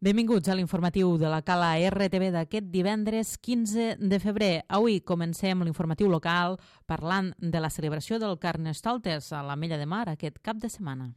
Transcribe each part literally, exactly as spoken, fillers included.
Benvinguts a l'informatiu de la Cala R T V d'aquest divendres quinze de febrer. Avui comencem l'informatiu local parlant de la celebració del Carnestoltes a l'Ametlla de Mar aquest cap de setmana.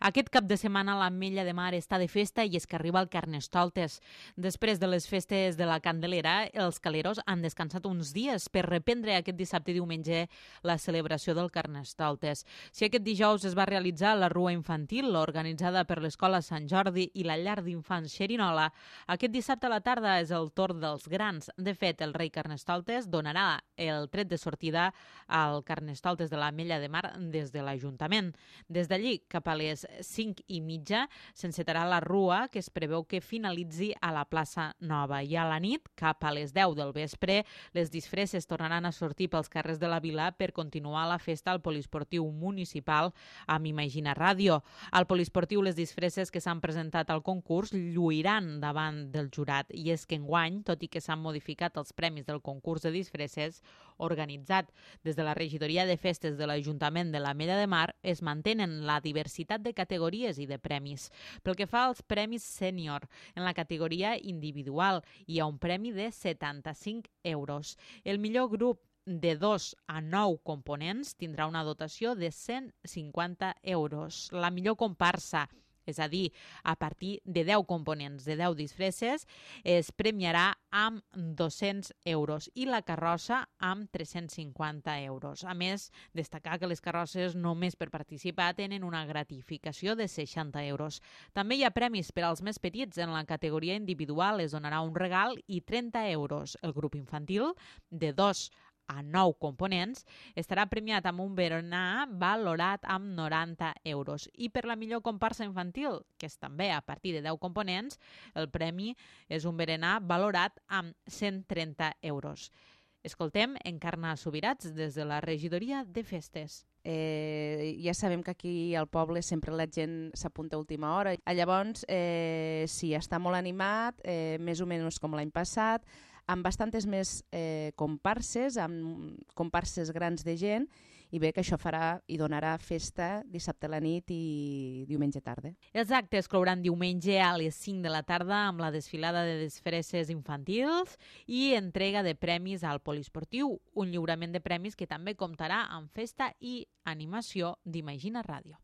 Aquest cap de setmana l'Ametlla de Mar està de festa i és que arriba el Carnestoltes. Després de les festes de la Candelera, els caleros han descansat uns dies per reprendre aquest dissabte i diumenge la celebració del Carnestoltes. Si aquest dijous es va realitzar la rua infantil organitzada per l'Escola Sant Jordi i la llar d'infants Xerinola, aquest dissabte a la tarda és el torn dels grans. De fet, el rei Carnestoltes donarà el tret de sortida al Carnestoltes de l'Ametlla de Mar des de l'Ajuntament. Des d'allí, cap a les cinc i mitja, s'encetarà la rua que es preveu que finalitzi a la plaça Nova. I a la nit, cap a les deu del vespre, les disfresses tornaran a sortir pels carrers de la vila per continuar la festa al poliesportiu municipal amb Imagina Ràdio. Al poliesportiu, les disfresses que s'han presentat al concurs lluiran davant del jurat. I és que enguany, tot i que s'han modificat els premis del concurs de disfresses organitzat des de la regidoria de festes de l'Ajuntament de l'Ametlla de Mar, es mantenen la diversitat de categories i de premis. Pel que fa als premis sènior, en la categoria individual hi ha un premi de setanta-cinc euros. El millor grup de dos a nou components tindrà una dotació de cent cinquanta euros. La millor comparsa, és a dir, a partir de deu components, de deu disfresses, es premiarà amb dos-cents euros i la carrossa amb tres-cents cinquanta euros. A més, destacar que les carrosses només per participar tenen una gratificació de seixanta euros. També hi ha premis per als més petits. En la categoria individual es donarà un regal i trenta euros. El grup infantil, de dos a nou components, estarà premiat amb un berenar valorat amb noranta euros. I per la millor comparsa infantil, que és també a partir de deu components, el premi és un berenar valorat amb cent trenta euros. Escoltem Encarna Subirats des de la regidoria de festes. Eh, ja sabem que aquí al poble sempre la gent s'apunta a última hora. Llavors, eh, sí, està molt animat, eh, més o menys com l'any passat, amb bastantes més eh, comparses, amb comparses grans de gent, i bé que això farà i donarà festa dissabte a la nit i diumenge tarda. Els actes clouran diumenge a les cinc de la tarda amb la desfilada de disfresses infantils i entrega de premis al poliesportiu, un lliurament de premis que també comptarà amb festa i animació d'Imagina Ràdio.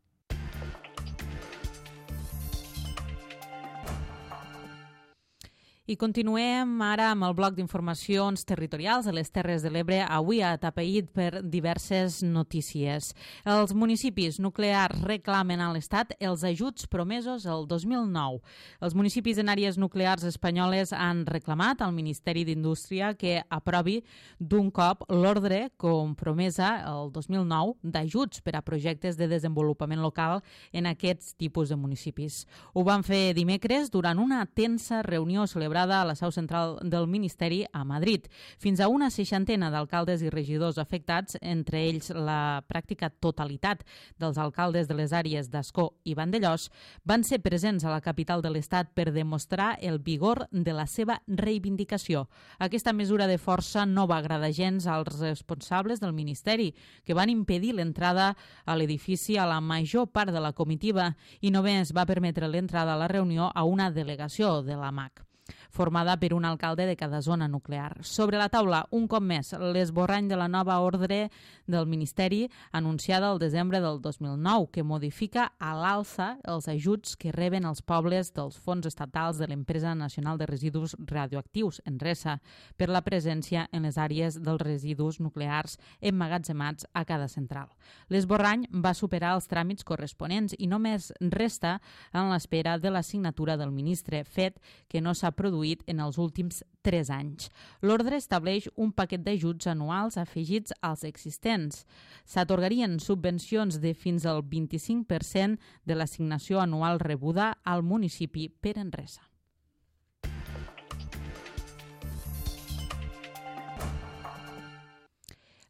I continuem ara amb el bloc d'informacions territorials de les Terres de l'Ebre, avui atapeït per diverses notícies. Els municipis nuclears reclamen a l'Estat els ajuts promesos el dos mil nou. Els municipis en àrees nuclears espanyoles han reclamat al Ministeri d'Indústria que aprovi d'un cop l'ordre compromesa el dos mil nou d'ajuts per a projectes de desenvolupament local en aquests tipus de municipis. Ho van fer dimecres durant una tensa reunió celebrada a la seu central del Ministeri a Madrid. Fins a una seixantena d'alcaldes i regidors afectats, entre ells la pràctica totalitat dels alcaldes de les àrees d'Ascó i Vandellòs, van ser presents a la capital de l'Estat per demostrar el vigor de la seva reivindicació. Aquesta mesura de força no va agradar gens als responsables del Ministeri, que van impedir l'entrada a l'edifici a la major part de la comitiva i només va permetre l'entrada a la reunió a una delegació de la M A C, formada per un alcalde de cada zona nuclear. Sobre la taula, un cop més, l'esborrany de la nova ordre del Ministeri anunciada el desembre del dos mil nou, que modifica a l'alça els ajuts que reben els pobles dels fons estatals de l'Empresa Nacional de Residus Radioactius, ENRESA, per la presència en les àrees dels residus nuclears emmagatzemats a cada central. L'esborrany va superar els tràmits corresponents i només resta en l'espera de la signatura del ministre, fet que no s'ha produït en els últims tres anys. L'ordre estableix un paquet d'ajuts anuals afegits als existents. S'atorgarien subvencions de fins al vint-i-cinc per cent de l'assignació anual rebuda al municipi per ENRESA.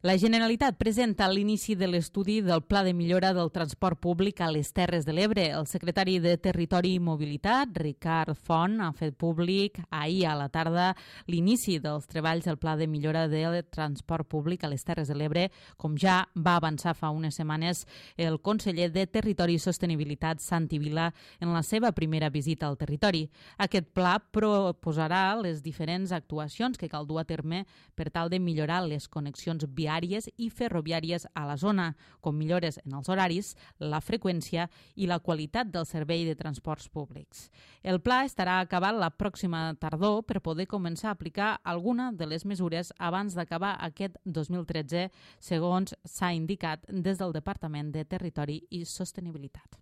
La Generalitat presenta l'inici de l'estudi del Pla de millora del transport públic a les Terres de l'Ebre. El secretari de Territori i Mobilitat, Ricard Font, ha fet públic ahir a la tarda l'inici dels treballs del Pla de millora del transport públic a les Terres de l'Ebre, com ja va avançar fa unes setmanes el conseller de Territori i Sostenibilitat, Santi Vila, en la seva primera visita al territori. Aquest pla proposarà les diferents actuacions que cal dur a terme per tal de millorar les connexions viàries i ferroviàries a la zona, com millores en els horaris, la freqüència i la qualitat del servei de transports públics. El pla estarà acabat la pròxima tardor per poder començar a aplicar alguna de les mesures abans d'acabar aquest dos mil tretze, segons s'ha indicat des del Departament de Territori i Sostenibilitat.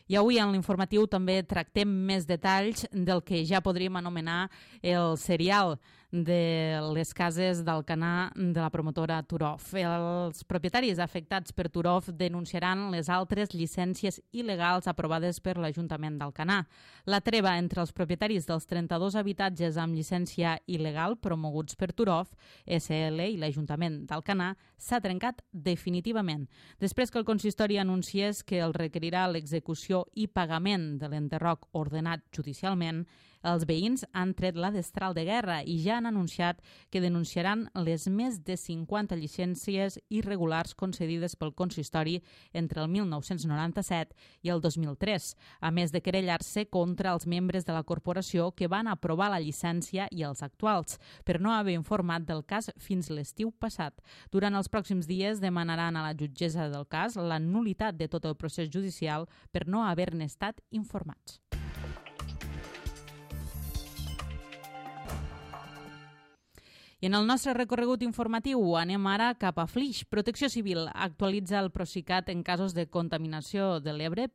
I avui en l'informatiu també tractem més detalls del que ja podríem anomenar el serial de les cases d'Alcanar de la promotora Turof. Els propietaris afectats per Turof denunciaran les altres llicències il·legals aprovades per l'Ajuntament d'Alcanar. La treva entre els propietaris dels trenta-dos habitatges amb llicència il·legal promoguts per Turof, S L i l'Ajuntament d'Alcanar s'ha trencat definitivament, després que el consistori anunciés que el requerirà l'execució i pagament de l'enderroc ordenat judicialment. Els veïns han tret la destral de guerra i ja han anunciat que denunciaran les més de cinquanta llicències irregulars concedides pel consistori entre el mil nou-cents noranta-set i el dos mil tres, a més de querellar-se contra els membres de la corporació que van aprovar la llicència i els actuals, per no haver informat del cas fins l'estiu passat. Durant els pròxims dies demanaran a la jutgessa del cas la nul·litat de tot el procés judicial per no haver-ne estat informats. I en el nostre recorregut informatiu anem ara cap a Flix. Protecció Civil actualitza el Procicat en casos de contaminació de l'Ebre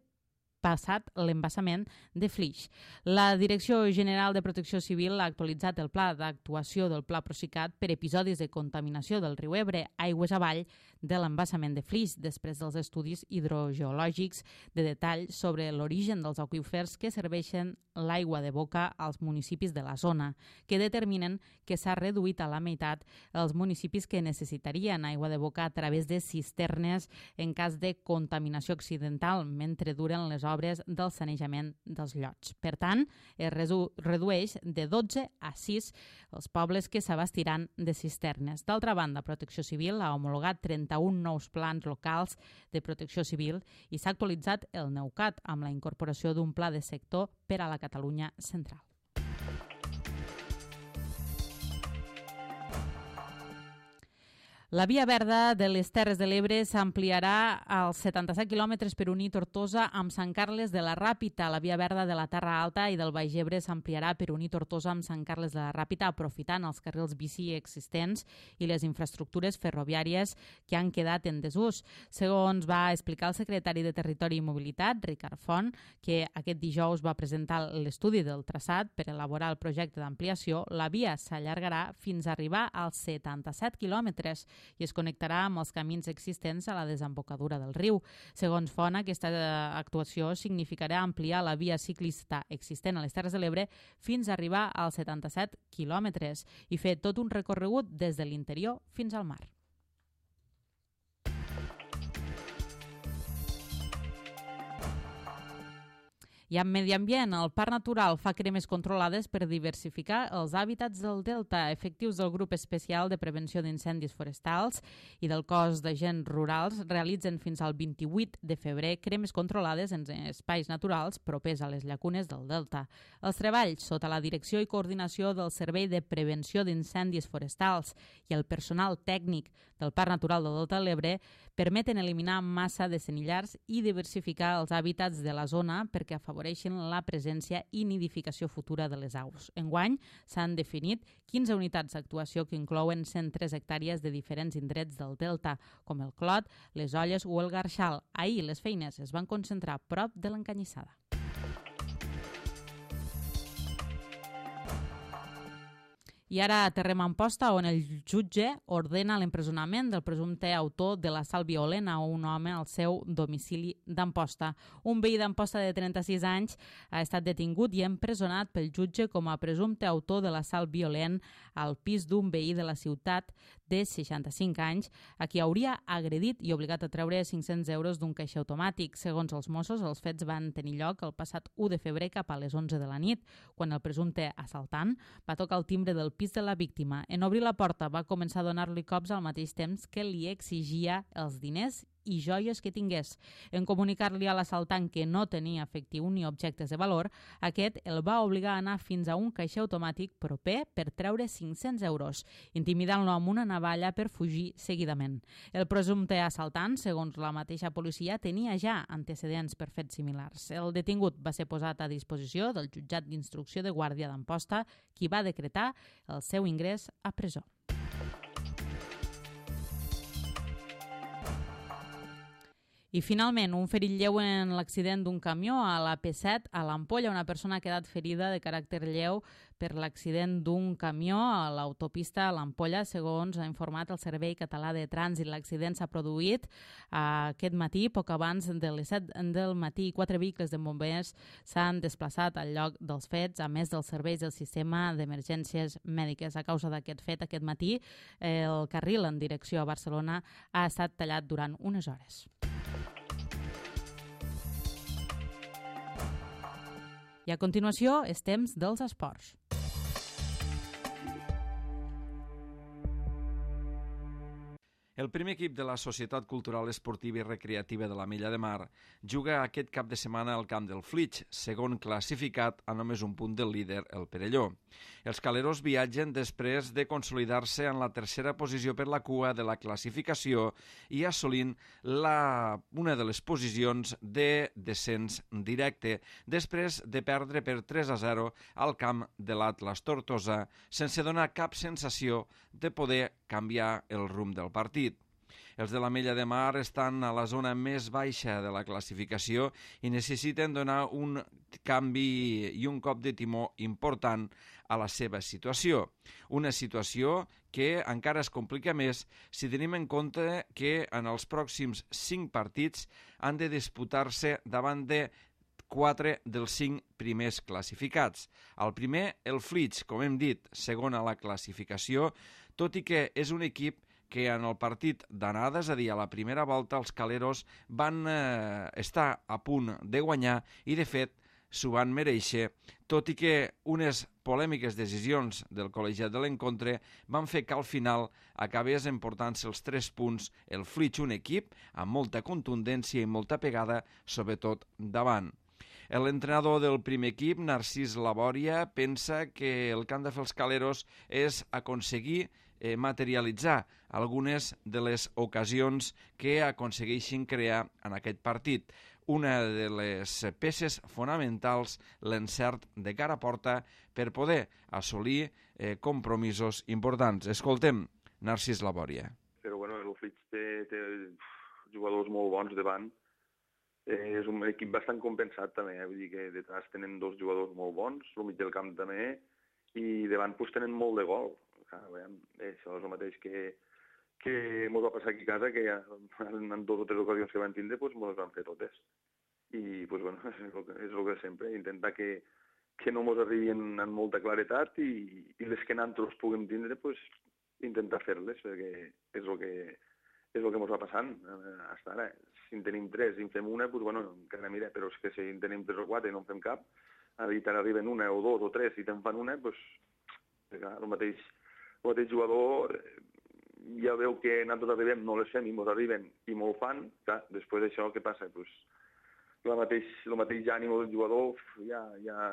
passat l'embassament de Flix. La Direcció General de Protecció Civil ha actualitzat el pla d'actuació del Pla Procicat per episodis de contaminació del riu Ebre aigües avall de l'embassament de Flix, després dels estudis hidrogeològics de detall sobre l'origen dels aqüífers que serveixen l'aigua de boca als municipis de la zona, que determinen que s'ha reduït a la meitat els municipis que necessitarien aigua de boca a través de cisternes en cas de contaminació accidental mentre duren les obres del sanejament dels llots. Per tant, es redueix de dotze a sis els pobles que s'abastiran de cisternes. D'altra banda, Protecció Civil ha homologat trenta-un nous plans locals de protecció civil i s'ha actualitzat el NEUCAT amb la incorporació d'un pla de sector per a la Catalunya central. La via verda de les Terres de l'Ebre s'ampliarà als setanta-set quilòmetres per unir Tortosa amb Sant Carles de la Ràpita. La via verda de la Terra Alta i del Baix Ebre s'ampliarà per unir Tortosa amb Sant Carles de la Ràpita, aprofitant els carrils bici existents i les infraestructures ferroviàries que han quedat en desús. Segons va explicar el secretari de Territori i Mobilitat, Ricard Font, que aquest dijous va presentar l'estudi del traçat per elaborar el projecte d'ampliació, la via s'allargarà fins a arribar als setanta-set quilòmetres i es connectarà amb els camins existents a la desembocadura del riu. Segons Font, aquesta actuació significarà ampliar la via ciclista existent a les Terres de l'Ebre fins a arribar als setanta-set quilòmetres i fer tot un recorregut des de l'interior fins al mar. I amb medi ambient, el Parc Natural fa cremes controlades per diversificar els hàbitats del Delta. Efectius del Grup Especial de Prevenció d'Incendis Forestals i del Cos d'Agents Rurals realitzen fins al vint-i-vuit de febrer cremes controlades en espais naturals propers a les llacunes del Delta. Els treballs, sota la direcció i coordinació del Servei de Prevenció d'Incendis Forestals i el personal tècnic del Parc Natural del Delta de l'Ebre, permeten eliminar massa de senillars i diversificar els hàbitats de la zona perquè afavoreixen la presència i nidificació futura de les aus. Enguany s'han definit quinze unitats d'actuació que inclouen cent tres hectàrees de diferents indrets del Delta, com el Clot, les Olles o el Garxal. Ahir les feines es van concentrar prop de l'Encanyissada. I ara aterrem a Amposta, on el jutge ordena l'empresonament del presumpte autor de l'assalt violent a un home al seu domicili d'Amposta. Un veí d'Amposta de trenta-sis anys ha estat detingut i empresonat pel jutge com a presumpte autor de l'assalt violent al pis d'un veí de la ciutat de seixanta-cinc anys, a qui hauria agredit i obligat a treure cinc-cents euros d'un caixer automàtic. Segons els Mossos, els fets van tenir lloc el passat u de febrer cap a les onze de la nit, quan el presumpte assaltant va tocar el timbre del pis de la víctima. En obrir la porta va començar a donar-li cops al mateix temps que li exigia els diners i joies que tingués. En comunicar-li a l'assaltant que no tenia efectiu ni objectes de valor, aquest el va obligar a anar fins a un caixer automàtic proper per treure cinc-cents euros, intimidant-lo amb una navalla per fugir seguidament. El presumpte assaltant, segons la mateixa policia, tenia ja antecedents per fets similars. El detingut va ser posat a disposició del jutjat d'instrucció de Guàrdia d'Amposta, qui va decretar el seu ingrés a presó. I finalment, un ferit lleu en l'accident d'un camió a la P set a l'Ampolla. Una persona ha quedat ferida de caràcter lleu per l'accident d'un camió a l'autopista a l'Ampolla, segons ha informat el Servei Català de Trànsit. L'accident s'ha produït aquest matí, poc abans de les set del matí. Quatre vehicles de bombers s'han desplaçat al lloc dels fets, a més dels serveis del sistema d'emergències mèdiques. A causa d'aquest fet, aquest matí, el carril en direcció a Barcelona ha estat tallat durant unes hores. I a continuació, és temps dels esports. El primer equip de la Societat Cultural Esportiva i Recreativa de l'Ametlla de Mar juga aquest cap de setmana al camp del Flix, segon classificat a només un punt del líder, el Perelló. Els caleros viatgen després de consolidar-se en la tercera posició per la cua de la classificació i assolint la, una de les posicions de descens directe, després de perdre per tres a zero al camp de l'Atlas Tortosa, sense donar cap sensació de poder canviar el rumb del partit. Els de l'Ametlla de Mar estan a la zona més baixa de la classificació i necessiten donar un canvi i un cop de timó important a la seva situació. Una situació que encara es complica més si tenim en compte que en els pròxims cinc partits han de disputar-se davant de quatre dels cinc primers classificats. El primer, el Flix, com hem dit, segon a la classificació, tot i que és un equip que en el partit d'anada, és a dir, a la primera volta, els caleros van eh, estar a punt de guanyar i, de fet, s'ho van mereixer, tot i que unes polèmiques decisions del col·legiat de l'encontre van fer que al final acabés emportant-se els tres punts el Flix, un equip amb molta contundència i molta pegada, sobretot davant. L'entrenador del primer equip, Narcís Labòria, pensa que el que han de fer els caleros és aconseguir eh, materialitzar algunes de les ocasions que aconsegueixin crear en aquest partit. Una de les peces fonamentals, l'encert de cara a porta per poder assolir eh, compromisos importants. Escoltem Narcís Labòria. Però bueno, el Flix té, té jugadors molt bons davant. Eh, és un equip bastant compensat també, eh? Vull dir que detrás tenen dos jugadors molt bons, al mig del camp també, i davant pues, tenen molt de gol. Clar, veiem, eh, això és el mateix que, que ens va passar aquí a casa, que en dues o tres ocasions que van tindre, pues, ens van fer totes. I pues, bueno, és el que, és el que sempre, intentar que, que no ens arribin amb molta claretat i, i les que nosaltres puguem tindre, pues, intentar fer-les, perquè és el que... és el que ens va passant fins ara. Si en tenim tres i en fem una, doncs, bueno, encara mira, però és que si en tenim tres o quatre i no en fem cap, ara arriben una o dos o tres i te'n fan una, doncs, clar, el mateix, el mateix jugador ja veu que nosaltres arribem, no les fem i ens arriben i m'ho fan, clar, després d'això què passa? Pues, el mateix, el mateix ànim del jugador ja, ja...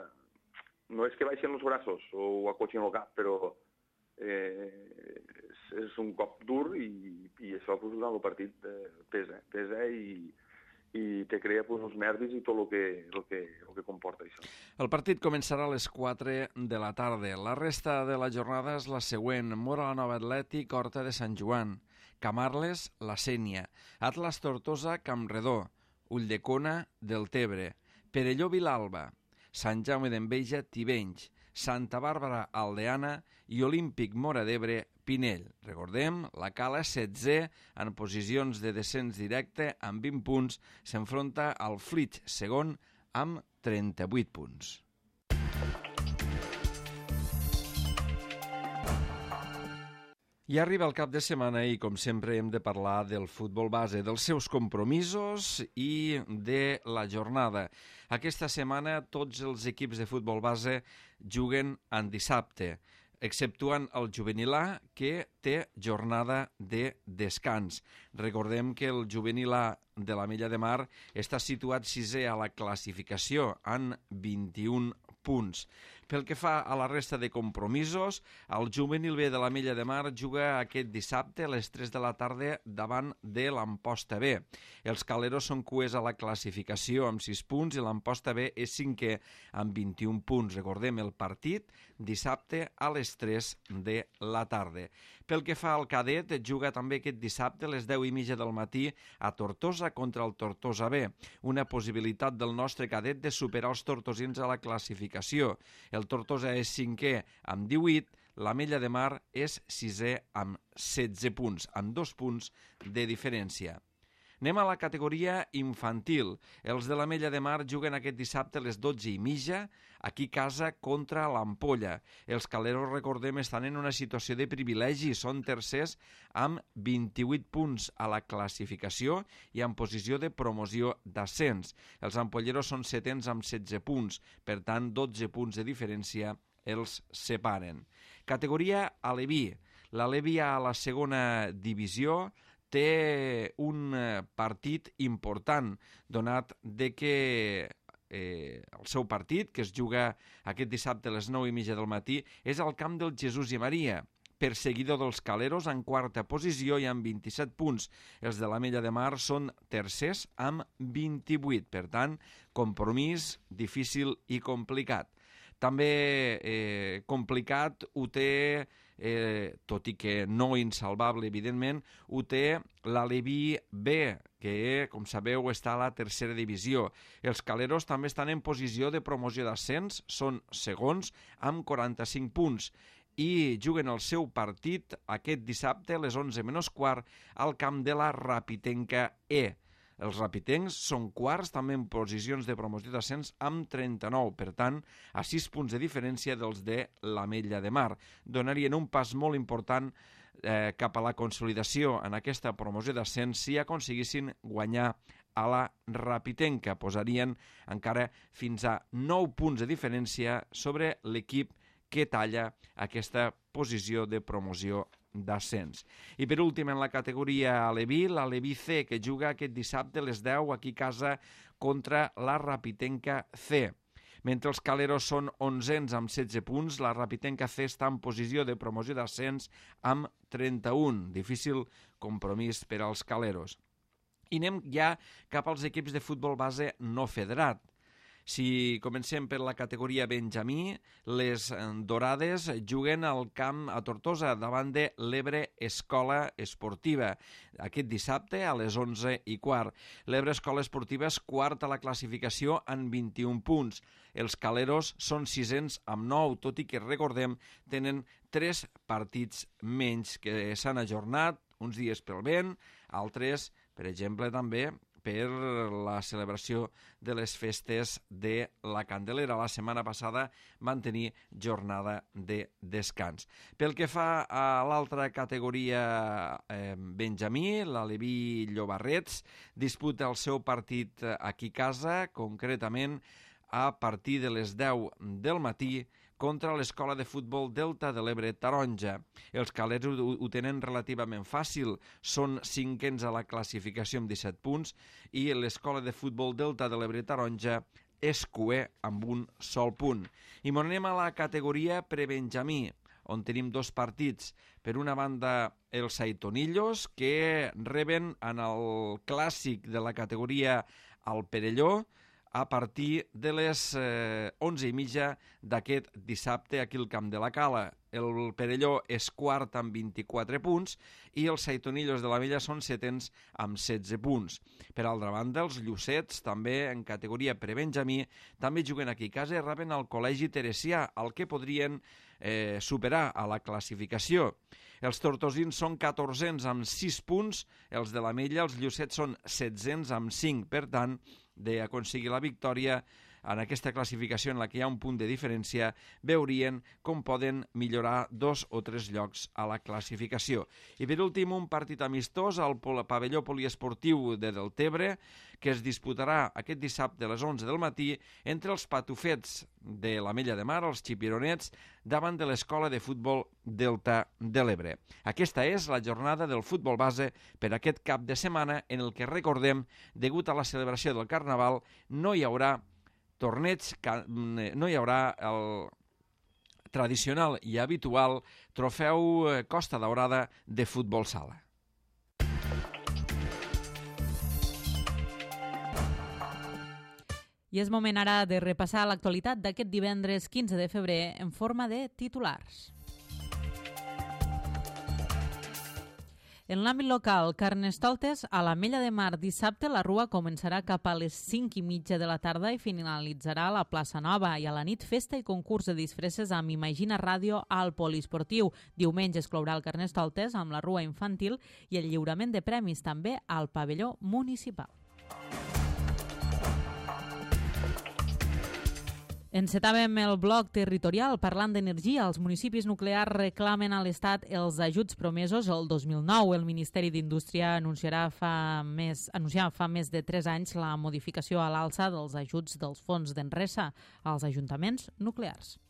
no és que baixen els braços o acotxin el cap, però eh, és, és un cop dur i, i això pues, durant el partit eh, pesa, pesa i, i te crea pues, els nervis i tot el que, el, que, el que comporta això. El partit començarà a les quatre de la tarda. La resta de la jornada és la següent. Móra la Nova Atlètic, Horta de Sant Joan. Camarles, la Sénia. Atlas Tortosa, Campredó. Ulldecona, Deltebre. Perelló, Vilalba. Sant Jaume d'Enveja, Tivenys. Santa Bàrbara Aldeana i Olímpic Móra d'Ebre Pinell. Recordem, la Cala setzè en posicions de descens directe amb vint punts s'enfronta al Flix segon amb trenta-vuit punts. I arriba el cap de setmana i, com sempre, hem de parlar del futbol base, dels seus compromisos i de la jornada. Aquesta setmana tots els equips de futbol base juguen en dissabte, exceptuant el juvenil A, que té jornada de descans. Recordem que el juvenil A de l'Ametlla de Mar està situat sisè a la classificació en vint-i-un punts. Pel que fa a la resta de compromisos, el juvenil B de l'Ametlla de Mar juga aquest dissabte a les tres de la tarda davant de l'Amposta B. Els caleros són cuers a la classificació amb sis punts i l'Amposta B és cinquè amb vint-i-un punts. Recordem el partit dissabte a les tres de la tarda. Pel que fa al cadet, juga també aquest dissabte a les deu i mitja del matí a Tortosa contra el Tortosa B. Una possibilitat del nostre cadet de superar els tortosins a la classificació. El Tortosa és cinquè amb divuit, l'Ametlla de Mar és sisè amb setze punts, amb dos punts de diferència. Anem a la categoria infantil. Els de l'Ametlla de Mar juguen aquest dissabte a les dotze i mitja, aquí a casa contra l'Ampolla. Els caleros, recordem, estan en una situació de privilegi, són tercers amb vint-i-vuit punts a la classificació i en posició de promoció d'ascens. Els ampolleros són setens amb setze punts, per tant, dotze punts de diferència els separen. Categoria Aleví. L'Aleví a la segona divisió té un partit important, donat de que eh, el seu partit, que es juga aquest dissabte a les nou i mitja del matí, és al camp del Jesús i Maria, perseguidor dels caleros en quarta posició i amb vint-i-set punts. Els de l'Ametlla de Mar són tercers amb vint-i-vuit, per tant, compromís difícil i complicat. També eh, complicat ho té, eh, tot i que no insalvable, evidentment, ho té l'Aleví B, que, com sabeu, està a la tercera divisió. Els caleros també estan en posició de promoció d'ascens, són segons, amb quaranta-cinc punts, i juguen el seu partit aquest dissabte a les onze menys quart al camp de la Rapitenca E. Els rapitencs són quarts també en posicions de promoció d'ascens amb trenta-nou, per tant, a sis punts de diferència dels de l'Ametlla de Mar. Donarien un pas molt important eh, cap a la consolidació en aquesta promoció d'ascens si aconseguissin guanyar a la Rapitenca. Posarien encara fins a nou punts de diferència sobre l'equip que talla aquesta posició de promoció d'ascens. I per últim, en la categoria Aleví, l'Aleví C, que juga aquest dissabte a les deu aquí a casa contra la Rapitenca C. Mentre els caleros són onzens amb setze punts, la Rapitenca C està en posició de promoció d'ascens amb trenta-un. Difícil compromís per als caleros. I anem ja cap als equips de futbol base no federat. Si comencem per la categoria Benjamí, les Dorades juguen al camp a Tortosa davant de l'Ebre Escola Esportiva. Aquest dissabte a les onze i quart. L'Ebre Escola Esportiva és quart a la classificació amb vint-i-un punts. Els caleros són sisens amb nou, tot i que, recordem, tenen tres partits menys que s'han ajornat, uns dies pel vent, altres, per exemple, també per la celebració de les festes de la Candelera. La setmana passada van tenir jornada de descans. Pel que fa a l'altra categoria eh, Benjamí, l'Aleví Llobarrets disputa el seu partit aquí a casa, concretament a partir de les deu del matí, contra l'Escola de Futbol Delta de l'Ebre Taronja. Els calers ho, ho tenen relativament fàcil, són cinquens a la classificació amb disset punts i l'Escola de Futbol Delta de l'Ebre Taronja és cuer amb un sol punt. I anem a la categoria prebenjamí, on tenim dos partits. Per una banda, els Aitonillos, que reben en el clàssic de la categoria al Perelló, a partir de les eh, onze i mitja d'aquest dissabte aquí al Camp de la Cala. El Perelló és quart amb vint-i-quatre punts i els Saitonillos de la Mella són setens amb setze punts. Per altra banda, els Llucets, també en categoria prebenjamí, també juguen aquí a casa i reben al Col·legi Teresià, el que podrien eh, superar a la classificació. Els tortosins són catorzens amb sis punts, els de la Mella, els Llucets són setzens amb cinc, per tant, d'aconseguir la victòria en aquesta classificació en la que hi ha un punt de diferència, veurien com poden millorar dos o tres llocs a la classificació. I per últim, un partit amistós al pavelló poliesportiu de Deltebre, que es disputarà aquest dissabte a les onze del matí entre els patufets de la Mella de Mar, els xipironets, davant de l'Escola de Futbol Delta de l'Ebre. Aquesta és la jornada del futbol base per aquest cap de setmana en el que, recordem, degut a la celebració del Carnaval, no hi haurà torneig, no hi haurà el tradicional i habitual trofeu Costa Daurada de futbol sala. I és moment ara de repassar l'actualitat d'aquest divendres quinze de febrer en forma de titulars. En l'àmbit local, Carnestoltes, a la Mella de Mar, dissabte la rua començarà cap a les cinc i mitja de la tarda i finalitzarà a la plaça Nova, i a la nit festa i concurs de disfresses amb Imagina Ràdio al poliesportiu. Diumenge es clourà el Carnestoltes amb la rua infantil i el lliurament de premis també al pavelló municipal. Encetàvem el bloc territorial parlant d'energia. Els municipis nuclears reclamen a l'Estat els ajuts promesos el dos mil nou. El Ministeri d'Indústria anunciarà fa més, anunciava fa més de tres anys la modificació a l'alça dels ajuts dels fons d'Enresa als ajuntaments nuclears.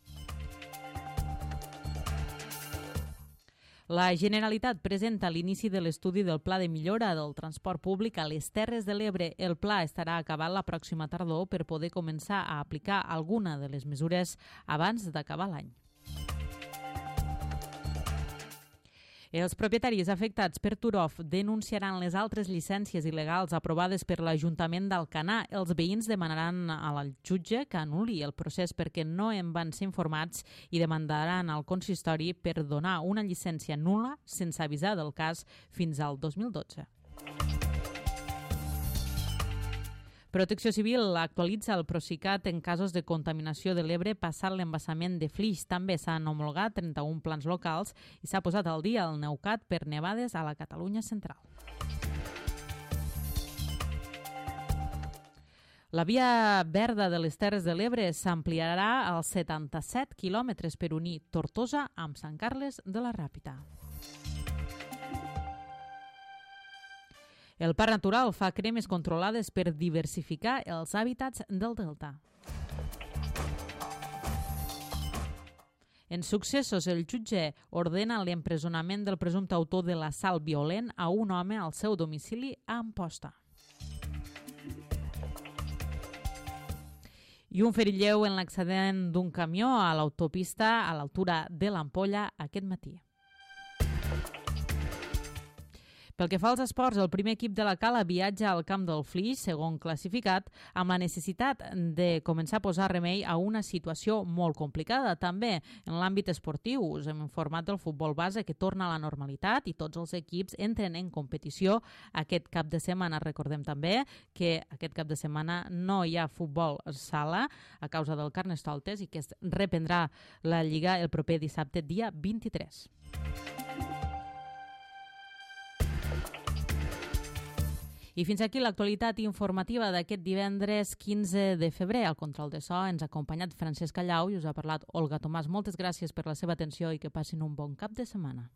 La Generalitat presenta l'inici de l'estudi del Pla de millora del transport públic a les Terres de l'Ebre. El pla estarà acabat la pròxima tardor per poder començar a aplicar alguna de les mesures abans d'acabar l'any. Els propietaris afectats per Turov denunciaran les altres llicències il·legals aprovades per l'Ajuntament d'Alcanar. Els veïns demanaran al jutge que anul·li el procés perquè no en van ser informats i demandaran al consistori per donar una llicència nul·la sense avisar del cas fins al dos mil dotze. Protecció Civil actualitza el Procicat en casos de contaminació de l'Ebre passat l'embassament de Flix. També s'han homologat trenta-un plans locals i s'ha posat al dia el Neucat per nevades a la Catalunya central. La via verda de les Terres de l'Ebre s'ampliarà als setanta-set quilòmetres per unir Tortosa amb Sant Carles de la Ràpita. El Parc Natural fa cremes controlades per diversificar els hàbitats del delta. En successos, el jutge ordena l'empresonament del presumpte autor de l'assalt violent a un home al seu domicili a Amposta. I un ferit lleu en l'accident d'un camió a l'autopista a l'altura de l'Ampolla aquest matí. Pel que fa als esports, el primer equip de la Cala viatja al camp del Flix, segon classificat, amb la necessitat de començar a posar remei a una situació molt complicada. També en l'àmbit esportiu us hem informat del futbol base que torna a la normalitat i tots els equips entren en competició aquest cap de setmana. Recordem també que aquest cap de setmana no hi ha futbol sala a causa del Carnestoltes i que es reprendrà la Lliga el proper dissabte, dia vint-i-tres. I fins aquí l'actualitat informativa d'aquest divendres quinze de febrer. Al control de so ens ha acompanyat Francesc Callau i us ha parlat Olga Tomàs. Moltes gràcies per la seva atenció i que passin un bon cap de setmana.